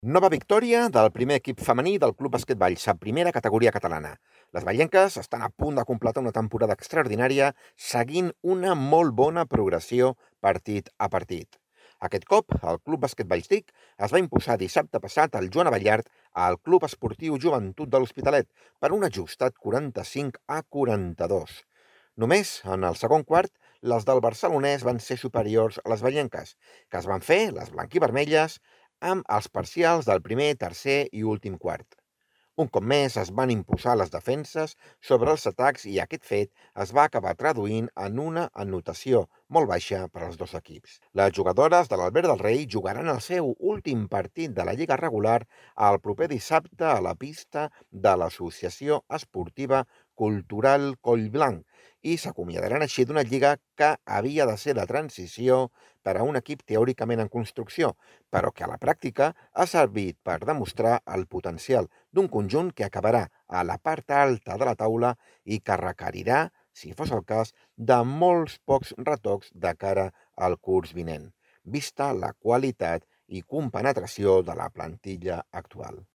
Nova victòria del primer equip femení del Club Bàsquet Valls, a primera categoria catalana. Les vallenques estan a punt de completar una temporada extraordinària seguint una molt bona progressió partit a partit. Aquest cop, el Club Bàsquet Valls TIC es va imposar dissabte passat al Joan Abellart al Club Esportiu Joventut de l'Hospitalet per un ajustat 45-42. Només en el segon quart, les del barcelonès van ser superiors a les vallenques, que es van fer, les blanquivermelles, amb els parcials del primer, tercer i últim quart. Un cop més es van imposar les defenses sobre els atacs i aquest fet es va acabar traduint en una anotació molt baixa per als dos equips. Les jugadores de l'Albert del Rei jugaran el seu últim partit de la Lliga regular el proper dissabte a la pista de l'Associació Esportiva Cultural Collblanc i s'acomiadaran així d'una lliga que havia de ser de transició per a un equip teòricament en construcció, però que a la pràctica ha servit per demostrar el potencial d'un conjunt que acabarà a la part alta de la taula i que requerirà, si fos el cas, de molts pocs retocs de cara al curs vinent, vista la qualitat i compenetració de la plantilla actual.